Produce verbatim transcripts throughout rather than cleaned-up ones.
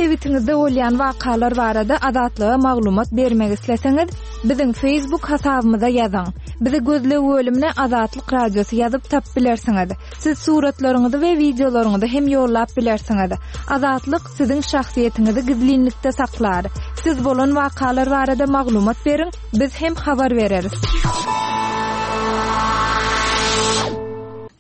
sebitiňizde bolýan wakalar barada Azatlyga maglumat bermek isleseňiz, biziň Facebook hasabymyza ýazyň. Bizi gözleg bölümine Azatlyk Radiosy ýazyp tapyp bilersiňiz. Siz suratlaryňyzy we wideolaryňyzy hem ýollap bilersiňiz. Azatlyk siziň şahsyýetiňizi gizlinlikde saklar. Siz bolan wakalar barada maglumat beriň, biz hem habar bereris.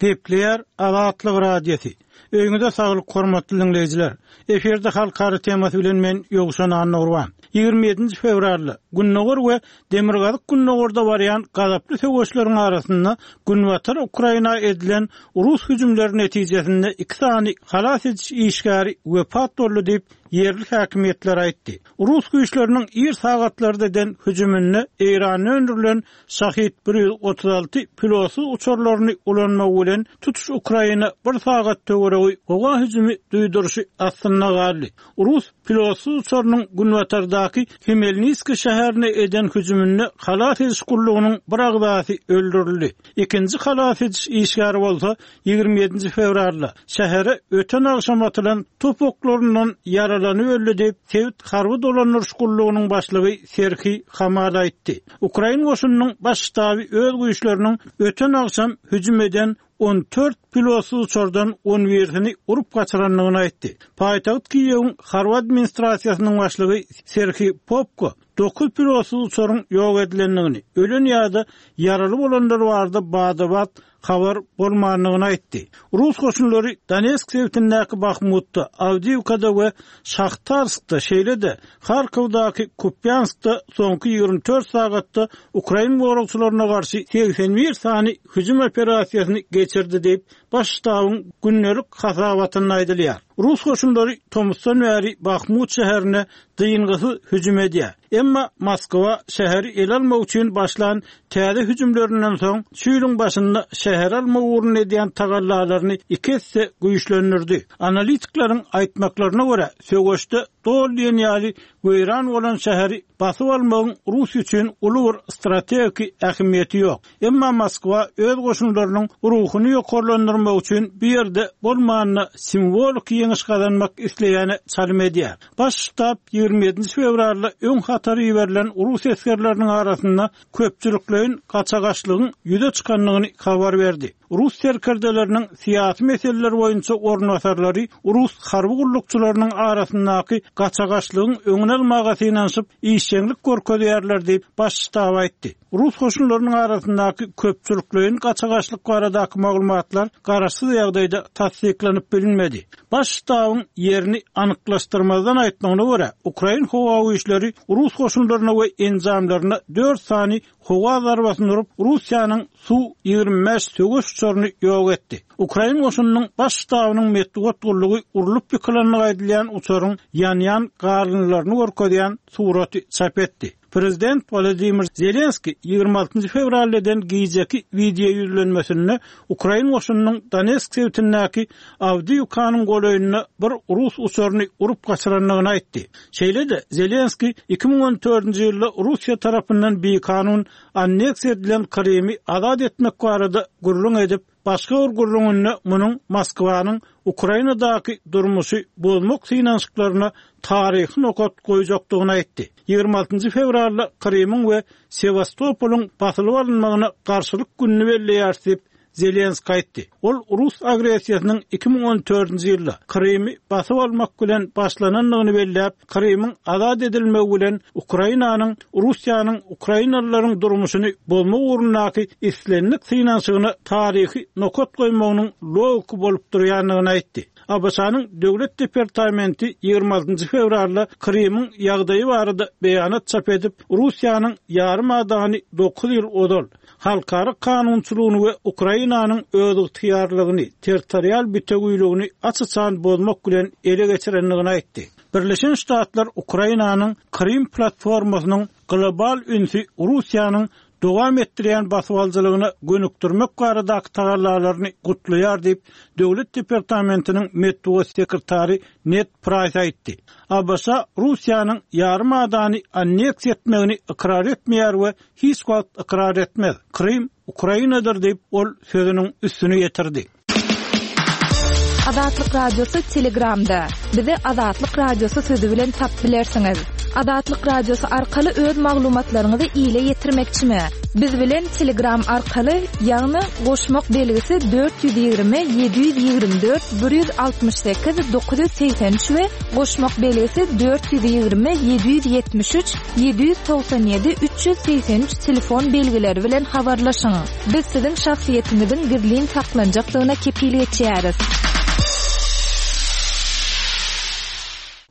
Gepleýär Azatlyk Radiosy. Öýüňize saglyk hormatly dinleýjiler. Efirde halkara temasy bilen men Ýowşan Annagurban. Ýigrimi ýedinji fewralda Gündogar we Demirgazyk Gündogarda barýan gazaply söweşleriň arasynda Günbatar Ukraina edilen rus hüjümleri netijesinde iki sany halas ediş işgäri wepat boldy diýip ýerli häkimiýetler aýtdy. Rus güýçleriniň ir sagatlarda eden hüjüminde Eýranda öndürilen Şahid bir ýüz otuz alty pilotsyz uçarlaryny ulanmak bilen tutuş Ukraina bir sagat töweregi howa hüjümi duýduryşy astynda galdy. Rus pilotsyz uçarynyň Günbatardaky Hmelnitski şäherine eden hüjüminde halas ediş gullugynyň bir agzasy öldürildi. Ikinji halas ediş işgäri bolsa ýigrimi ýedinji fewralda şähere öten agşam atylan top oklaryndan ýaralanyp öldi diýip sebit harby dolandyryş gullugynyň başlygy Serhiý Hamal aýtdy. Ukrain goşunynyň baş ştaby öz güýçleriniň öten agşam hüjüm eden on dört pilotsyz uçardan on birisini urup gaçyrandygyny aýtdy. Paýtagt Kiýewiň harby administrasiýasynyň başlygy Serhiý Popko dokuz pilotsyz uçaryň ýok edilendigini, ölen ýa-da ýaraly bolanlar barada bada-bat habar bolmandygyny aýtdy. Rus goşunlary Donetsk sebitindäki Bahmutda, Awdiýewkada we Şahtarskda, şeýle-de Harkowdaky Kupýanskda soňky ýigrimi dört sagatda ukrain goragçylaryna garşy segsen bir sany hüjüm operasiýasyny geçirdi diýip, baş ştabyň gündelik hasabatynda aýdylýar. Rus goşunlary tomusdan bäri Bahmut şäherine dyngysyz hüjüm edýär. Emma Moskwa şäheri ele almak üçin başlan täze hüjümlerinden soň şu ýylyň başynda şäher almak ugrunda edýän tagallalaryny iki esse güýçlendirdi. Analitikleriň aýtmaklaryna görä, söweşde doly diýen ýaly weýran bolan şäheri basyp almagyň Rus üçin uly bir strategik ähmiýeti ýok. Emma Moskwa öz goşunlarynyň ruhuny ýokarlandyrmak üçin bu ýerde bolmanda simwolik ýeňiş gazanmak isleýäne çalym edýär. Baş ştab ýigrimi ýedinji fewralda öň hatary berilen Rus esgerleriniň arasynda köpçülikleýin gaçagaçlygyň ýüze çykandygyny habar berdi. Rus serkerdeleriniň syýasy meseleler boýunça orunbasarlary Rus harby gullukçylarynyň arasyndaky gaçagaçlygyň öňüni almaga synanyşyp işjeňlik görkezýärler diýip baş ştab aýtdy. Rus goşunlarynyň arasyndaky köpçülikleýin gaçagaçlyk baradaky maglumatlar garaşsyz ýagdaýda tassyklanyp bilinmedi. Baş ştabyň ýerini anyklaşdyrmazdan aýtmagyna görä, Ukrain howa güýçleri Rus goşunlaryna we enjamlaryna dört sany howa zarbasyny urup, Russiýanyň Su ýigrimi bäş söweş uçaryny ýok etdi. Ukrain goşunynyň baş ştabynyň metbugat gullugy urlup ýykylandygy aýdylýan uçaryň ýanýan galyndylaryny görkezýän suraty çap etdi. Prezident Wladimir Zelenski ýigrimi altynjy fewralda eden gijeki wideo ýüzlenmesinde Ukrain goşunynyň Donetsk sebitindäki Awdiýewkanyň golaýynda bir rus uçaryny urup gaçyrandygyny aýtdy. Şeýle-de Zelenski iki müň on dördünji ýylda Russiýa tarapyndan bikanun anneksiýa edilen Krymy azat etmek barada gürrüň edip, başga bir gürrüňinde munuň Moskwanyň Ukrainadaky durmuşy bozmak synanyşyklaryna taryhy nokat goýjakdygyny aýtdy. Ýigrimi altynjy fewralda Krymyň we Sewastopolyň basylyp alynmagyna garşylyk gününi belleýär diýip Zelenski aýtdy. Ol Rus agressiýasynyň iki müň on dördünji ýylda Krymy basyp almak bilen başlanandygyny belläp, Krymyň azat edilmegi bilen Ukrainanyň Russiýanyň ukrainalylaryň durmuşyny bozmak ugrundaky islendik synanyşygyna taryhy nokat goýmagynyň logiki bolup durýandygyny aýtdy. A B Ş-nyň Döwlet departamenti ýigrimi altynjy fewralda Krymyň ýagdaýy barada beýanat çap edip, Russiýanyň ýarym adany dokuz ýyl ozal halkara kanunçylygyny we Ukrainanyň özygtyýarlygyny, territorial bitewüligini aç-açan bozmak bilen ele geçirendigini aýtdy. Birleşen Ştatlar Ukrainanyň Krym platformasynyň global ünsi Russiýanyň dowam etdirýän basybalyjylygyna gönükdirmek baradaky tagallalaryny gutlaýar diýip, Döwlet departamentiniň metbugat sekretary Ned Price aýtdy. A B Ş Russiýanyň ýarym adany anneksiýa etmegini ykrar etmeýär we hiç wagt ykrar etmez. Krym Ukrainadyr diýip, ol sözüniň üstüni ýetirdi. Azatlyk Radiosy Telegramda. Bizi Azatlyk Radiosy sözi bilen tapyp bilersiňiz. Azatlyk Radiosy arkaly öz maglumatlaryňyzy ile ýetirmekçimi? Biz bilen Telegram arkaly, ýagny goşmak belgisi dört ýüz ýigrimi ýedi ýüz ýigrimi dört bir ýüz altmyş sekiz dokuz ýüz segsen üç we goşmak belgisi dört ýüz ýigrimi ýedi ýüz ýetmiş üç ýedi ýüz togsan ýedi üç ýüz segsen üç telefon belgileri bilen habarlaşyň. Biz siziň şahsyýetiňiziň gizlin saklanjakdygyna kepil geçýäris.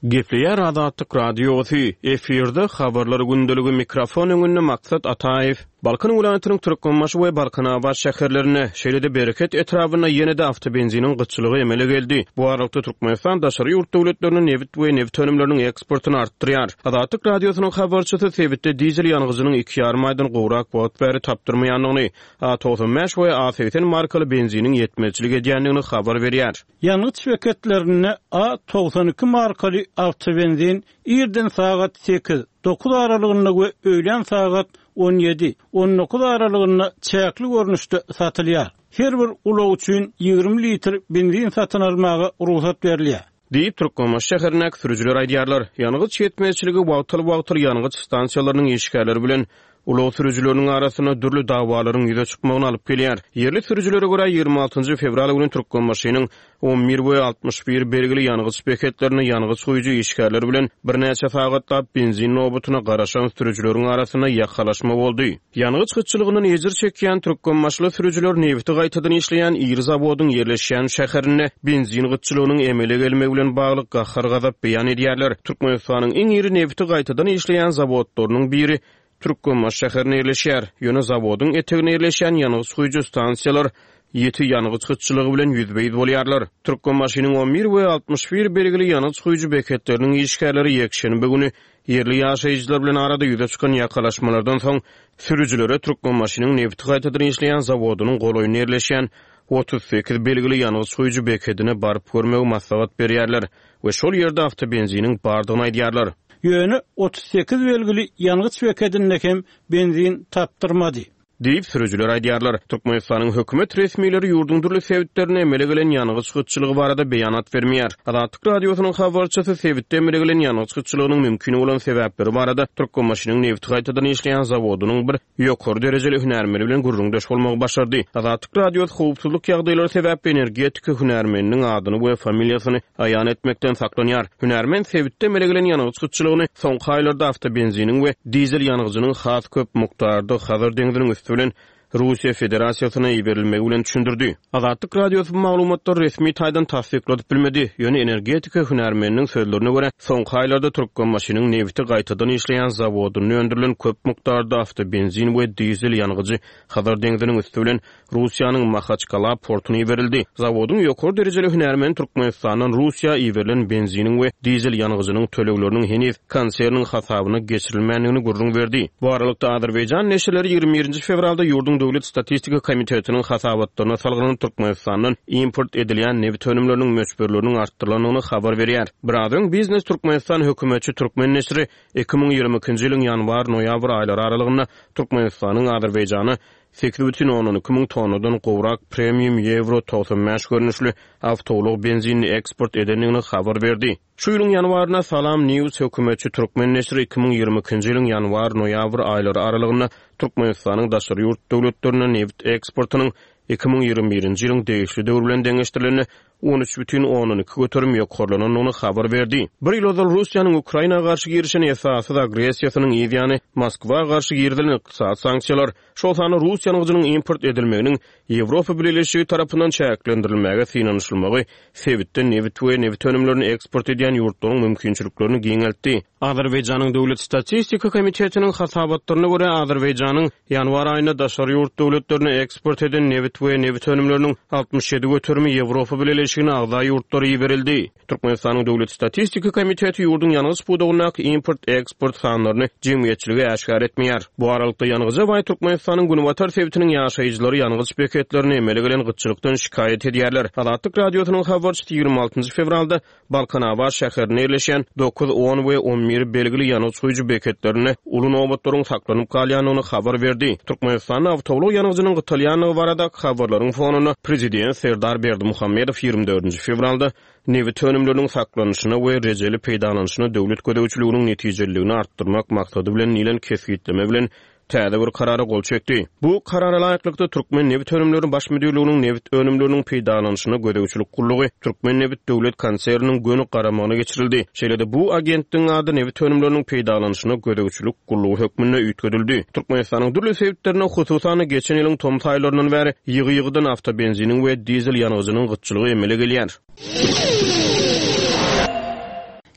Gepleýär Azatlyk Radiosy, efirde habarlar gündeligi, mikrofon öňünde Maksat Ataýew. Balkan welaýatynyň Türkmenbaşy we Balkanabat şäherlerinde, şeýle-de Bereket etrabynda ýene-de awtobenziniň gytçylygy emele geldi. Bu aralykda Türkmenistan daşary ýurt döwletlerine nebit we nebit önümleriniň eksportyny artdyrýar. Azatlyk Radiosynyň habarçysy sebitde dizel ýangyjynyň iki ýarym aýdan gowrak wagt bäri tapdyrmaýandygyny, A togsan bäş we A segsen markaly benziniň ýetmezçilik edýändigini habar berýär. Ýangyç beketlerinde A togsan iki markaly awtobenzin irden sagat sekiz, dokuz aralygynda we öýlän sagat on ýedi, on dokuz aralygynda çäkli görnüşde satylýar. Her bir ulag üçin ýigrimi litr benzin satyn almaga rugsat berilýär. Diýip Türkmenbaşy şäherindäki sürüjiler aýdýarlar. Ýangyç ýetmezçiligi wagtal-wagtal ýangyç stansiýalarynyň işgärleri bilen ulag sürüjileriniň arasynda dürli dawalaryň ýüze çykmagyny alyp gelýär. Ýerli sürüjilere görä ýigrimi altynjy fewral güni Türkmenbaşynyň on bir we altmyş bir belgili ýangyç beketlerinde ýangyç guýujy işgärler bilen birnäçe sagatlap benzin nobatyna garaşan sürüjileriň arasynda ýakalaşma boldy. Ýangyç gytçylygyndan ejir çekýän Türkmenbaşyly sürüjiler nebiti gaýtadan işleýän iri zawodyň ýerleşýän şäherinde benzin gytçylygynyň emele gelmegi bilen bagly gahar-gazap beýan edýärler. Türkmenistanyň iň iri nebiti gaýtadan işleýän zawodlarynyň biri Türkmenbaşy şäherinde ýerleşýär. Ýöne zawodyň eteginde ýerleşýän ýangyç guýujy stansiýalar ýeti ýangyç gytçylygy bilen ýüzbe-ýüz bolýarlar. Türkmenbaşynyň on bir we altmyş bir belgili ýangyç guýujy beketleriniň işgärleri ýekşenbe güni ýerli ýaşaýjylar bilen arada ýüze çykan ýakalaşmalardan soň sürüjilere Türkmenbaşynyň nebiti gaýtadan işleýän zawodynyň golaýynda ýerleşýän otuz sekiz belgili ýangyç guýujy bekedine baryp görmegi maslahat berýärler we şol ýerde awtobenziniň bardygyny aýdýarlar. Ýöne otuz sekiz belgili ýangyç bekedinde hem benzin tapdyrmady. Diýip sürüjiler aýdýarlar. Türkmenistanyň hökümet resmileri ýurduň dürli sebitlerine emele gelen ýangyç gytçylygy barada beýanat bermeýär. Azatlyk Radiosynyň habarçysy sebitde emele gelen ýangyç gytçylygynyň mümkin bolan sebäpleri barada Türkmenbaşynyň nebiti gaýtadan işleýän zawodynyň bir ýokary derejeli hünärmeni bilen gürrüňdeş bolmagy başardy. Azatlyk Radiosy howpsuzlyk ýagdaýlary sebäpli energetika hünärmeniniň adyny we familiýasyny aýan etmekden saklanýar. Hünärmen sebitde emele gelen ýangyç gytçylygyny soňky aýlarda awtobenziniň we dizel ýangyjynyň has köp mukdarda Hazar deňziniň üsti bilen Russiýa Federasiýasyna iberilmegi bilen düşündirdi. Azatlyk Radiosy bu maglumatlary resmi taýdan tassykladyp bilmedi. Ýöne energetika hünärmeniniň sözlerine görä, soňky aýlarda Türkmenbaşynyň nebiti gaýtadan işleýän zawodynda öndürilen köp mukdarda awtobenzin we dizel ýangyjy Hazar deňziniň üsti bilen Russiýanyň Mahaçkala portuna iberildi. Zawodyň ýokary derejeli hünärmeni Türkmenistandan Russiýa iberilen benziniň we dizel ýangyjynyň tölegleriniň heniz konserniň hasabyna geçirilmändigini gürrüň berdi. Bu aralykda Azerbaýjan neşirleri ýigrimi birinji fewralda ýurduň Döwlet Statistika Komitetiniň hasabatlaryna salgylanyp Türkmenistandan import edilýän nebit önümleriniň möçberleriniň artdyrylandygyny habar berýär. Biraz öň Biznes Türkmenistan hökümetçi Türkmen neşiri iki müň ýigrimi ikinji ýylyň ýanwar-noýabr aýlary aralygynda Türkmenistanyň Azerbaýjana sekiz bütin ondan iki müň tonnadan gowrak premium ýewro togsan bäş görnüşli awtoulag benzinini eksport edendigini habar berdi. Şu ýylyň ýanwarynda Salam News hökümetçi Türkmen neşiri iki müň ýigrimi ikinji ýylyň ýanwar-noýabr aýlary aralygynda Türkmenistanyň daşary ýurt döwletlerine nebit eksportynyň iki müň ýigrimi birinji ýylyň degişli döwri bilen deňeşdirilende on üç bütin ondan iki göterim ýokarlanandygyny habar berdi. Bir ýyl ozal Russiýanyň Ukraina garşy girişen esassyz agressiýasynyň ýany Moskwa garşy girizilen ykdysady sanksiýalar, şol sanda Rus ýangyjynyň import edilmeginiň Ýewropa Bileleşigi tarapyndan çäklendirilmäge synanyşylmagy sebitde nebit we nebit önümlerini eksport edýän ýurtlaryň mümkinçiliklerini giňeltdi. Azerbaýjanyň Döwlet Statistika Komitetiniň hasabatlaryna görä Azerbaýjanyň ýanwar aýynda daşary ýurt döwletlerine eksport eden nebit we nebit önümleriniň altmyş ýedi göterimi Ýewropa Bileleşigine agza ýurtlara iberildi. Türkmenistanyň Döwlet Statistika Komiteti ýurduň ýangyç pudagyndaky import-eksport sanlaryny jemgyýetçilige äşgär etmeýär. Bu aralykda ýangyja baý Türkmenistanyň Günbatar sebitiniň ýaşaýjylary ýangyç beketlerine emele gelen gytçylykdan şikaýat edýärler. Azatlyk Radiosynyň habarçysy ýigrimi altynjy fewralda Balkanabat şäherinde ýerleşýän dokuz, on we on bir belgili ýangyç guýujy beketlerinde uly nobatlaryň saklanyp galýandygyny habar berdi. Türkmenistanda awtoulag ýangyjynyň gytalýandygy barada habarlaryň fonunda Prezident Serdar Berdimuhamedow ýigrimi ýigrimi dördünji fewralda nebit önümleriniň saklanyşyna we rejeli peýdalanyşyna döwlet gözegçiliginiň netijeliligini artdyrmak maksady bilen diýlen kesgitleme bilen täze bir karara gol çekdi. Bu karara laýyklykda, Türkmennebitönümleri baş müdirliginiň nebit önümleriniň peýdalanyşyna gözegçilik gullugy Türkmennebit döwlet konserniniň göni garamagyna geçirildi. Şeýle-de bu agentligiň ady nebit önümleriniň peýdalanyşyna gözegçilik gullugy hökmünde üýtgedildi. Türkmenistanyň dürli sebitlerinde, hususan-da, geçen ýylyň tomus aýlaryndan bäri ýygy-ýygydan awtobenziniň we dizel ýangyjynyň gytçylygy emele gelýär.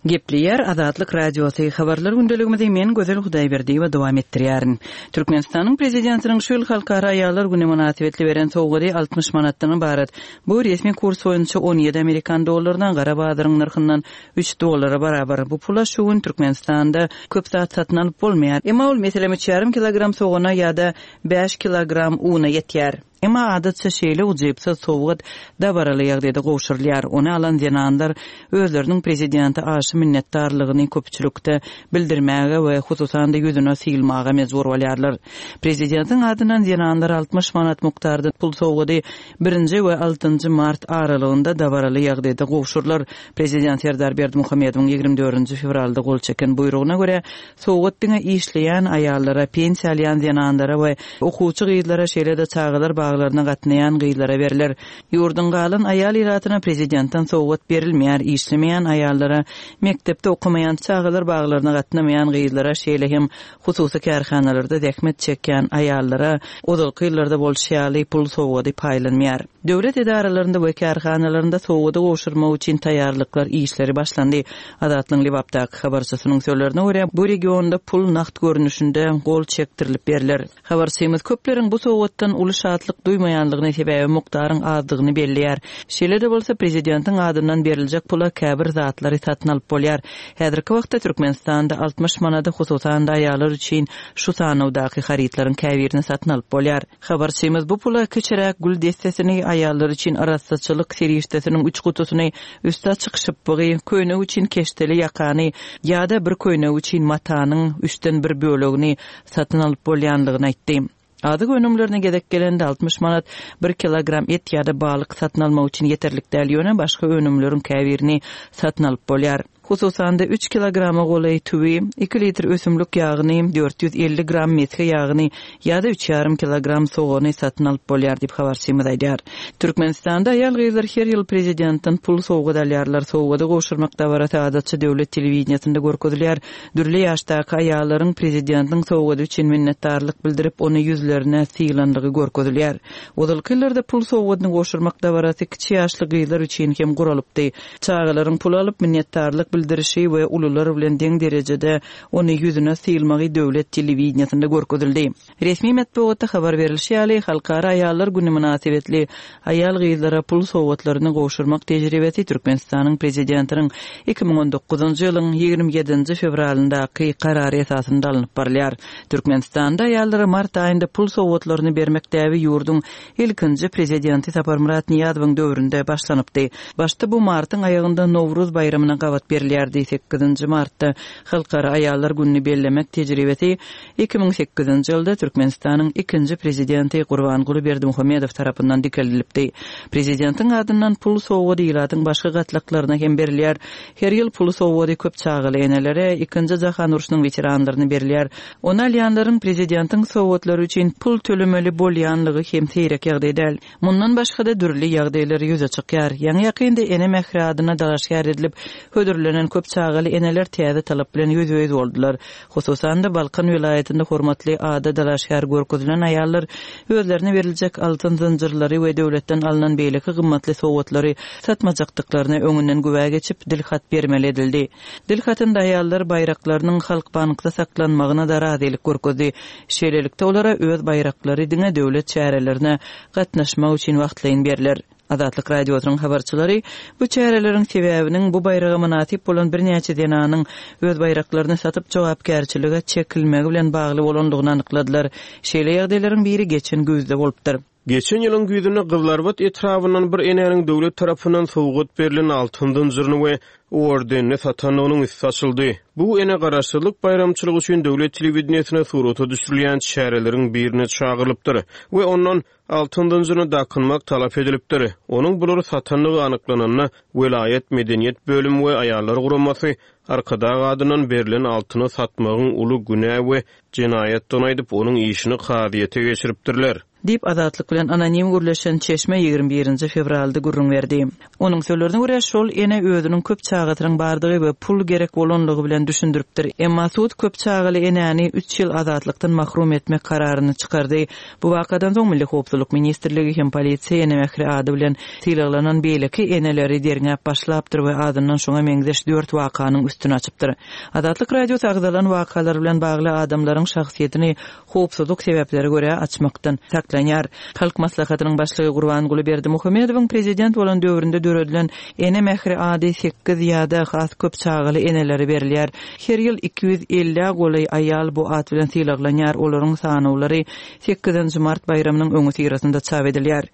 Gepleýär Azatlyk Radiosy habarlar gündeligimizi men Gözel Hudaýberdiýewa dowam etdirýärin. Türkmenistanyň prezidentiniň şu ýyl Halkara aýallar güni mynasybetli beren sowgady altmyş manatdan ybarat. Bu resmi kurs boýunça on ýedi amerikan dollaryna, gara bazaryň nyrhyndan üç dollara barabar. Bu pula şu gün Türkmenistanda köp zat satyn alyp bolmaýar. Emma ol meselem üç ýarym kilogram sogana ýa-da bäş kilogram una ýetýär. Emma adatça şeýle ujypsyz sowgat dabaraly ýagdaýda gowşurylýar. Ony alan zenanlar özleriniň prezidente aşa minnetdarlygyny köpçülikde bildirmäge we hususan-da ýüzüne sylmaga mejbur bolýarlar. Prezidentiň adyndan zenanlar altmyş manat mukdarda pul sowgady birinji we altynjy mart aralygynda dabaraly ýagdaýda gowşurylar. Prezident Serdar Berdimuhamedowyň ýigrimi dördünji fewralda gol çeken buýrugyna görä, sowgat diňe işleýän aýallara, pensiýa alýan zenanlara we okuwçy gyzlara, şeýle-de çagalar baglaryna gatnaýan gyzlara berler. Ýurduň galan aýal ilatyna prezidentden sowgat berilmeýär, işlemeýän aýallara, mekdepde okamaýan, çagalar baglaryna gatnamaýan gyzlara, şeýle hem hususy kärhanalarda zähmet çekýän aýallara ozalky ýyllarda bolşy ýaly pul sowgady paýlanmaýar. Döwlet edaralarynda we kärhanalarynda sowgady gowşurmak üçin taýýarlyklar işleri başlandy. Azatlygyň Lebapdaky habarçysynyň sözlerine görä, bu regionda pul nagt görnüşinde gol çekdirilip berler. Habarçymyz köpleriň bu sowgatdan uly şatlyk duýmaýanlygyny, sebäbi mukdaryň azdygyny belleýär. Şeýle-de bolsa, prezidentiň adyndan beriljek pula käbir zatlary satyn alyp bolýar. Häzirki wagtda Türkmenistanda altmyş manada hususan-da aýallar üçin şu sanawdaky harytlaryň käbirini satyn alyp bolýar. Habarçymyz bu pula kiçiräk gül dessesini, aýallar üçin arassaçylyk serişdesiniň üç gutusyny, üsti açyk şypbygy, köýnek üçin keşdeli ýakany ýa-da bir köýnek üçin matanyň üçden bir bölegini satyn alyp bolýanlygyny aýtdy. Azyk önümlerine gezek gelende altmyş manat bir kilogram et ýa-da balyk satyn almak üçin ýeterlik däl, ýöne başga önümleriň käbirini satyn alyp bolýar. Hususan-da üç kilograma golaý tüwi, iki litr ösümlik ýagyny, dört ýüz elli gram mesge ýagyny ýa-da üç ýarym kilogram sogany satyn alyp bolýar diýip habarçymyz aýdýar. Türkmenistanda aýal-gyzlar her ýyl prezidentden pul sowgat alýarlar. Sowgady gowşurmak dabarasy adatça döwlet telewideniýesinde görkezilýär. Dürli ýaşdaky aýallaryň prezidentiň sowgady üçin minnetdarlyk bildirip, ony ýüzlerine sylanlygy görkezilýär. Ozalky ýyllarda pul sowgadyny gowşurmak dabarasy kiçi ýaşly gyzlar üçin hem guralypdy. Çagalaryň pul alyp minnetdarlyk bildirişi we ulular bilen deň derejede ony ýüzüne sylmagy döwlet telewideniýesinde görkezildi. Resmi metbugatda habar berilişi ýaly, Halkara aýallar güni mynasybetli aýal-gyzlara pul sowgatlaryny gowşurmak tejribesi Türkmenistanyň prezidentiniň iki müň on dokuzynjy ýylyň ýigrimi ýedinji fewralyndaky karary esasynda alnyp barylýar. Türkmenistanda aýallara mart aýynda pul sowgatlaryny bermek däbi ýurduň ilkinji prezidenti Saparmyrat Nyýazowyň döwründe başlanypdy. Başda bu martyň aýagynda Nowruz baýramyna gabat berilýärdi. Sekizinji martda Halkara aýallar gününi bellemek tejribesi iki müň sekizinji ýylda Türkmenistanyň ikinji prezidenti Gurbanguly Berdimuhamedow tarapyndan dikeldilipdi. Prezidentiň adyndan pul sowgady ilatyň başga gatlaklaryna hem berilýär. Her ýyl pul sowgady köp çagaly enelere, ikinji jahan urşunyň weteranlaryna berilýär. Ony alýanlaryň prezidentiň sowgatlary üçin pul tölemeli bolýanlygy hem seýrek ýagdaý däl. Mundan başga-da dürli ýagdaýlar ýüze çykýar. Ýaňy ýakynda ene mähri adyna dalaşgär edilip, hödürlenen köp çagaly eneler täze talap bilen ýüzbe-ýüz boldular. Hususan-da Balkan welaýatynda hormatly ada dalaşgär görkezilen aýallar özlerine beriljek altyn zynjyrlary we döwletden alnan beýleki gymmatly sowgatlary satmajakdyklaryna öňünden güwä geçip, dilhat bermeli edildi. Dilhatynda aýallar baýraklarynyň Halk bankda saklanmagyna da razylyk görkezdi. Şeýlelikde olara öz baýraklary diňe döwlet çärelerine gatnaşmak üçin wagtlaýyn berler. Azatlyk Radiosynyň habarçylary bu çäreleriň sebäbiniň bu baýraga mynasyp bolan birnäçe zenanyň öz baýraklaryny satyp jogapkärçilige çekilmegi bilen bagly bolandygyny anykladylar. Şeýle ýagdaýlaryň biri geçen güýzde bolupdyr. Geçen ýylyň güýzünde Gyzylarbat etrabyndan bir enäniň döwlet tarapyndan sowgat berlen altyn zynjyryny we ordenini satandygynyň üsti açyldy. Bu ene Garaşsyzlyk baýramçylygy üçin döwlet telewideniýesine surata düşürilýän çäreleriň birine çagyrylypdyr we ondan altyn zynjyryny dakynmak talap edilipdir. Onuň bulary satandygy anyklananda welaýat medeniýet bölümi we aýallar guramasy Arkadag adyndan berlen altyny satmagyň uly günä we jenaýatdygyny aýdyp, onuň işini kazyýete geçiripdirler. Diýip, Azatlyk bilen anonim gürleşen çeşme ýigrimi birinji fewralda gürrüň berdi. Onuň sözlerine görä, şol ene özüniň köp çagasynyň bardygy we pul gerek bolanlygy bilen düşündiripdir. Emma sud köp çagaly enäni üç ýyl azatlykdan mahrum etmek kararyny çykardy. Bu wakadan soň Milli howpsuzlyk ministrligi hem polisiýa Ene mähri ady bilen sylaglanan beýleki eneleri derňäp başlapdyr we azyndan şoňa meňzeş dört wakanyň üstüni açypdyr. Azatlyk Radiosy agzalan wakalar bilen bagly adamlaryň şahsyýetini howpsuzlyk sebäplere görä açmakdan saklanýar. Halk Maslahatynyň başlygy Gurbanguly Berdimuhamedowyň prezident bolan döwründe döredilen Ene mähri ady sekiz ýa-da has köp çagaly enelere berilýär. Her ýyl iki ýüz ellä golaý aýal bu at bilen sylaglanýar, olaryň sanawlary sekizinji mart baýramynyň öňüsyrasynda çap edilýär.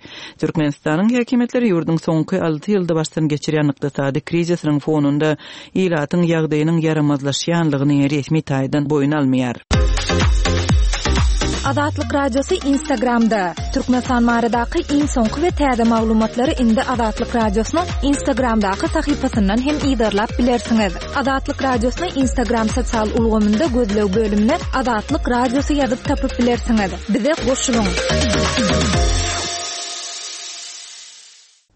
Türkmenistanyň häkimiýetleri ýurduň soňky alty ýylda başdan geçirýän ykdysady krizisiniň fonunda ilatyň ýagdaýynyň ýaramazlaşýanlygyny resmi taýdan boýun almaýar. Azatlyk Radiosy Instagramda. Türkmenistan baradaky iň soňky we täze maglumatlary indi Azatlyk Radiosynyň Instagramdaky sahypasyndan hem yzarlap bilersiňiz. Azatlyk Radiosyny Instagram sosial ulgamynda gözleg bölümine Azatlyk Radiosy ýazyp tapyp bilersiňiz. Bize goşulyň.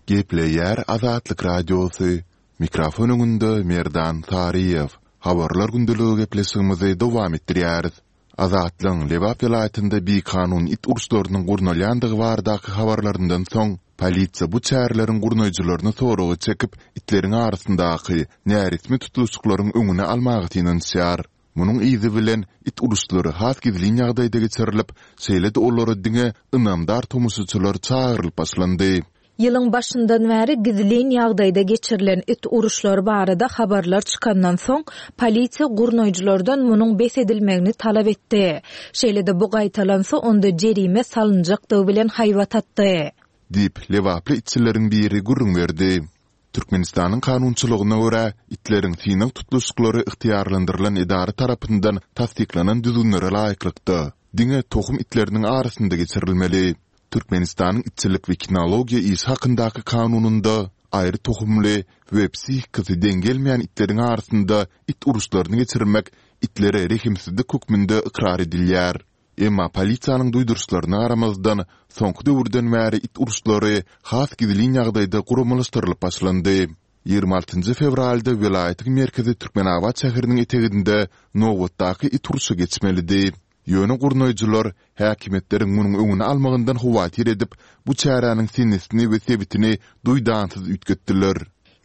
Gepleýär Azatlyk Radiosy. Mikrofon öňünde Merdan Saryýew. Habarlar gündeligi gepleşigimizi dowam etdirýäris. Azatlygyň Lebap welaýatynda bikanun it uruşlarynyň gurnalýandygy baradaky habarlaryndan soň, polisiýa bu çäreleriň gurnaýjylaryny soraga çekip, itleriň arasyndaky näresmi tutluşyklaryň öňüni almaga synanyşýar. Munuň yzy bilen it uruşlary has gizlin ýagdaýda geçirilip, şeýle-de olara diňe ynamdar tomaşaçylar çagyrylyp başlandy. Ýylyň başyndan bäri gizlin ýagdaýda geçirilen it uruşlary barada habarlar çykandan soň, polisiýa gurnaýjylardan munuň bes edilmegini talap etdi. Şeýle-de bu gaýtalansa onda jerime salynjakdygy bilen haýbat atdy. Diýip, lebaply itçileriň biri gürrüň berdi. Türkmenistanyň kanunçylygyna görä, itleriň synag tutluşyklary ygtyýarlandyrylan edara tarapyndan tassyklanan düzgünlere laýyklykda, diňe tohum itleriniň arasynda geçirilmeli. Türkmenistanyň itçilik we kinologiýa işi hakyndaky kanunynda aýry tohumly we psihikasy deň gelmeýän itleriň arasynda it uruşlaryny geçirmek itlere rehimsizlik hökmünde ykrar edilýär. Emma polisiýanyň duýduryşlaryna garamazdan, soňky döwürden bäri it uruşlary has gizlin ýagdaýda guramalaşdyrylyp başlandy. Ýigrimi altynjy fewralda welaýatyň merkezi Türkmenabat şäheriniň eteginde nobatdaky it urşy geçmelidi. Ýöne gurnaýjylar häkimiýetleriň munuň öňüni almagyndan howatyr edip, bu çäräniň senesini we sebitini duýdansyz üýtgetdiler.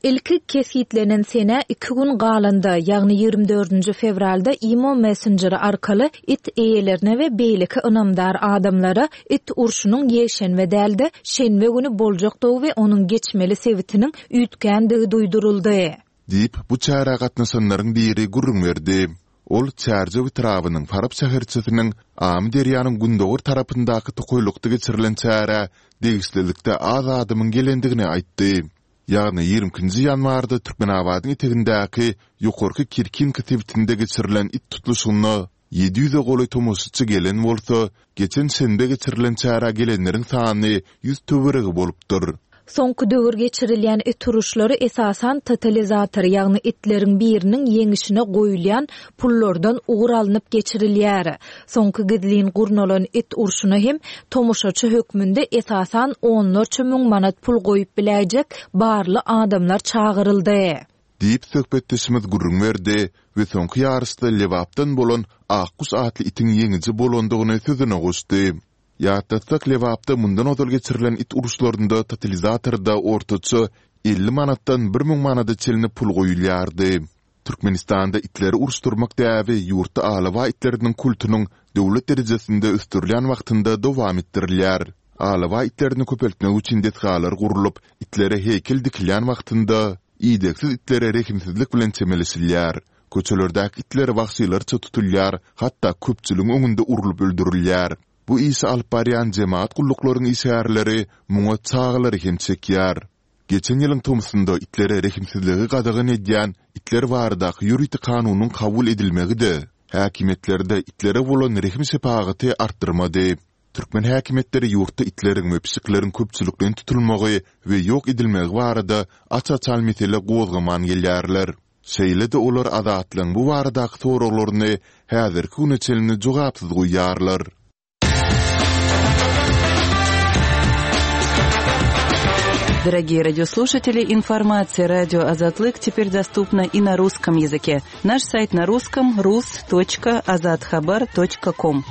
Ilki kesgitlenen senä iki gün galanda, ýagny ýigrimi dördünji fewralda Imo messenjeri arkaly it eýelerine we beýleki ynamdar adamlara it urşunyň ýekşenbe däl-de, şenbe güni boljakdygy we onuň geçmeli sebitiniň üýtgändigi duýduryldy. Diýip, bu çärä gatnaşanlaryň biri gürrüň berdi. Ol Çärjew etrabynyň Farap şäherçesiniň Amyderýanyň gündogar tarapyndaky tokaýlykda geçirilen çärä degişlilikde az adamyň gelendigini aýtdy. Ýagny ýigrimi ikinji ýanwarda Türkmenabadyň etegindäki Ýokarky Kirkinka sebitinde geçirilen it tutluşygyna ýedi ýüze golaý tomaşaçy gelen bolsa, geçen şenbe geçirilen çärä gelenleriň sany ýüz töweregi bolupdyr. Soňky döwür geçirilýän it uruşlary esasan totalizator, ýagny itleriň biriniň ýeňişine goýulýan pullardan ugur alnyp geçirilýär. Soňky gizlin gurnalan it urşuna hem tomaşaçy hökmünde esasan onlarça müň manat pul goýup biläýjek barly adamlar çagyryldy. Diýip söhbetdeşimiz gürrüň berdi we soňky ýaryşda Lebapdan bolan Akguş atly itiň ýeňiji bolandygyny sözüne goşdy. Ýatlatsak, Lebapda mundan ozal geçirilen it uruşlarynda totalizatorda ortaça elli manatdan bir müň manada çenli pul goýulýardy. Türkmenistanda itleri uruşdyrmak däbi ýurtda alabaý itleriniň kultunyň döwlet derejesinde ösdürilýän wagtynda dowam etdirilýär. Alabaý itlerini köpeltmek üçin desgalar gurlup, itlere heýkel dikilýän wagtynda idegsiz itlere rehimsizlik bilen çemeleşilýär. Köçelerdäki itler wagşylarça tutulýar, hatda köpçüligiň öňünde urlup öldürilýär. Bu işi alyp barýan jemagat gulluklaryň işgärleri muňa çagalary hem çekýär. Geçen ýylyň tomsunda itlere rehimsizligi gadagan edýän itler baradaky ýörite kanunyň kabul edilmegi-de häkimiýetlerde itlere bolan rehim-şepagaty artdyrmady. Türkmen häkimiýetleri ýurtda itleriň we pişikleriň köpçülikleýin tutulmagy we ýok edilmegi barada aç-açan mesele gozgaman gelýärler. Şeýle-de olar Azatlygyň bu baradaky soraglaryny häzirki güne çenli jogapsyz goýýarlar. Дорогие радиослушатели, информация радио Азатлык теперь доступна и на русском языке. Наш сайт на русском rus.azathabar.com.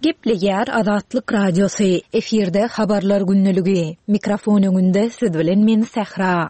Gepleýär Azatlyk Radiosy, efirde habarlar günlügi. Mikrofon öňünde siz bilen men Sähra.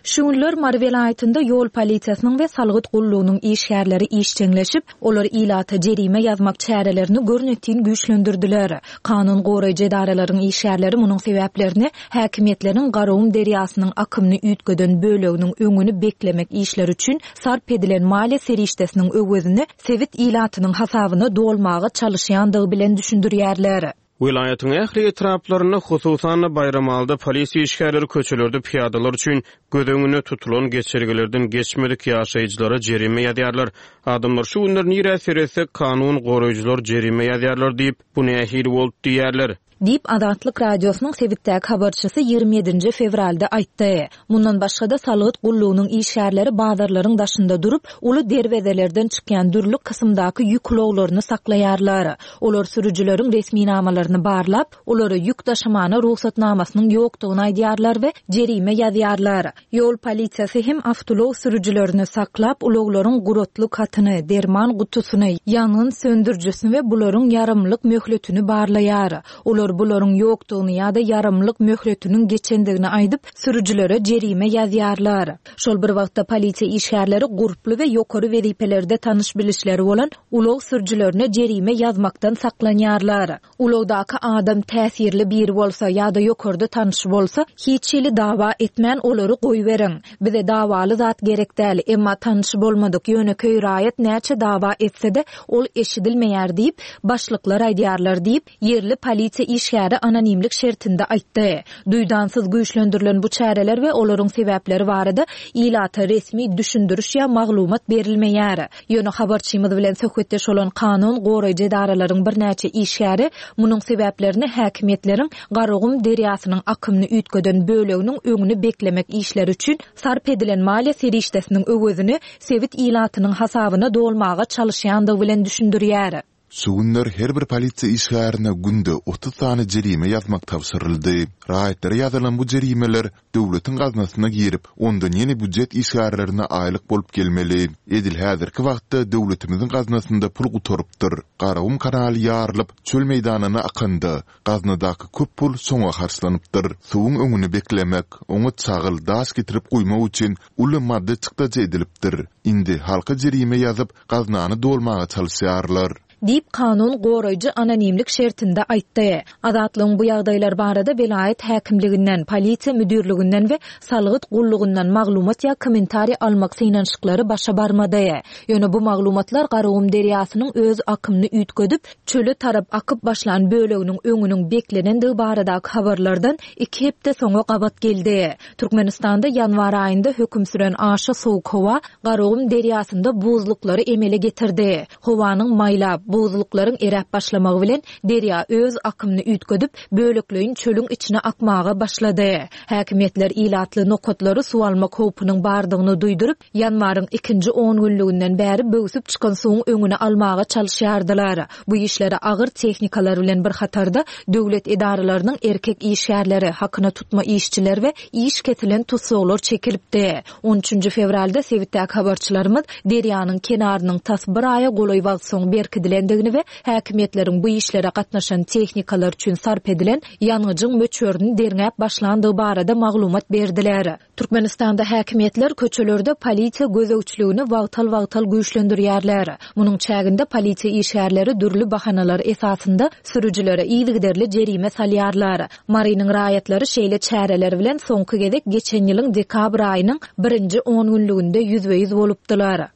Şu günler Mary welaýatynda ýol polisiýasynyň we salgyt gullugynyň işgärleri işjeňleşip, olar ilata jerime ýazmak çärelerini görnetin güýçlendirdiler. Kanun goraýjy edaralaryň işgärleri munuň sebäplerini häkimiýetleriň Garagum derýasynyň akymyny üýtgeden böleginiň öňüni beklemek işleri üçin sarp edilen maliýe serişdesiniň öwezini sebit ilatynyň hasabyna dolmaga çalyşýandygy bilen düşündirýärler. Welaýatyň ähli etraplarynda, hususan-da Baýramalyda polisiýa işgärleri köçelerde pyýadalar üçin göz öňünde tutulan geçelgelerden geçmedik ýaşaýjylara jerime ýazýarlar. Adamlar şu günler nirä seretsek kanun goraýjylar jerime ýazýarlar diýip, bu nähili boldy diýýärler. Diýip, Azatlyk Radiosynyň sebitdäki habarçysy ýigrimi ýedinji fewralda aýtdy. Mundan başga-da salgyt gullugynyň işgärleri bazarlaryň daşynda durup, uly derwezelerden çykýan dürli kysymdaky ýük ulaglaryny saklaýarlar. Olar sürüjileriň resminamalaryny barlap, olara ýük daşamana rugsatnamasynyň ýokdugyny aýdýarlar we jerime ýazýarlar. Ýol polisiýasy hem awtoulag sürüjilerini saklap, ulaglaryň guratlyk hatyny, derman gutusyny, ýangyn söndürijisini we bularyň ýaramlyk möhletini barlaýar. Olar bularyň ýokdugyny ýa-da ýaramlyk möhletiniň geçendigini aýdyp, sürüjilere jerime ýazýarlar. Şol bir wagtda polisiýa işgärleri gurply we ýokary wezipelerde tanyş bilişleri bolan ulag sürüjilerine jerime ýazmakdan saklanýarlar. Ulagdaky adam täsirli biri bolsa ýa-da ýokarda tanyşy bolsa, hiç hili dawa etmän olary goýberiň. Bize dawaly zat gerek däl, emma tanyşy bolmadyk ýönekeý raýat näçe dawa etse-de, ol eşidilmeýär diýip, başlyklar aýdýarlar diýip, ýerli polisiýa işgäri anonimlik şertinde aýtdy. Duýdansyz güýçlendirilen bu çäreler we olaryň sebäpleri barada ilata resmi düşündiriş ýa maglumat berilmeýär. Ýöne habarçymyz bilen söhbetdeş bolan kanun goraýjy edaralaryň birnäçe işgäri munuň sebäplerini häkimiýetleriň Garagum derýasynyň akymyny üýtgeden böleginiň öňüni beklemek işleri üçin sarp edilen maliýe serişdesiniň öwezini sebit ilatynyň hasabyna dolmaga çalyşýandygy bilen düşündirýär. Şu günler her bir polisiýa işgärine günde otuz sany jerime ýazmak tabşyryldy. Raýatlara ýazylan bu jerimeler döwletiň gaznasyna girip, ondan ýene býujet işgärlerine aýlyk bolup gelmeli. Edil häzirki wagtda döwletimiziň gaznasynda pul gutarypdyr. Garagum kanaly ýarylyp, çöl meýdanyna akanda, gaznadaky köp pul şoňa harçlanypdyr. Suwuň öňüni beklemek, oňa çagyl, daş getirip guýmak üçin uly maddy çykdajy edilipdir. Indi halka jerime ýazyp, gaznany dolmaga çalyşýarlar. Diýip, kanun goraýjy anonimlik şertinde aýtdy. Azatlygyň bu ýagdaýlar barada welaýat häkimliginden, polisiýa müdirliginden we salgyt gullugyndan maglumat ýa kommentariý almak synanyşyklary başa barmady. Ýöne bu maglumatlar Garagum derýasynyň öz akymyny üýtgedip, çöle tarap akyp başlan böleginiň öňüniň beklenendigi baradaky habarlardan iki hepde soňa gabat geldi. Türkmenistanda ýanwar aýynda höküm süren aşa sowuk howa Garagum derýasynda buzluklary emele getirdi. Howanyň maýlap, buzluklaryň eräp başlamagy bilen derýa öz akymyny üýtgedip, bölekleýin çölüň içine akmaga başlady. Häkimiýetler ilatly nokatlary suw almak howpunyň bardygyny duýduryp, ýanwaryň ikinji on günlüginden bäri böwsüp çykan suwuň öňüni almaga çalyşýardylar. Bu işlere agyr tehnikalar bilen bir hatarda döwlet edaralarynyň erkek işgärleri, hakyna tutma işçiler we iş kesilen tussaglar çekilipdi. On üçünji fewralda sebitdäki habarçylarymyz derýanyň kenarynyň tas bir aýa golaý wagt soň berkidilendigini we häkimiýetleriň bu işlere gatnaşan tehnikalar üçin sarp edilen ýangyjyň möçberini derňäp başlandygy barada maglumat berdiler. Türkmenistanda häkimiýetler köçelerde polisiýa gözegçiligini wagtal-wagtal güýçlendirýärler. Munuň çäginde polisiýa işgärleri dürli bahanalar esasynda sürüjilere yzygiderli jerime salýarlar. Marynyň raýatlary şeýle çäreler bilen soňky gezek geçen ýylyň dekabr aýynyň birinji on günlüginde ýüzbe-ýüz bolupdylar.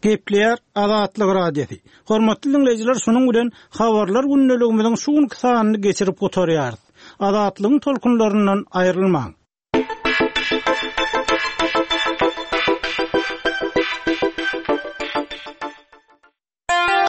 Gepleýär Azatlyk Radiosy. Hormatly dinleýjiler, şunuň bilen habarlar gündeligimiziň şu günki sanyny geçirip gutarýarys. Azatlygyň tolkunlaryndan aýrylmaň.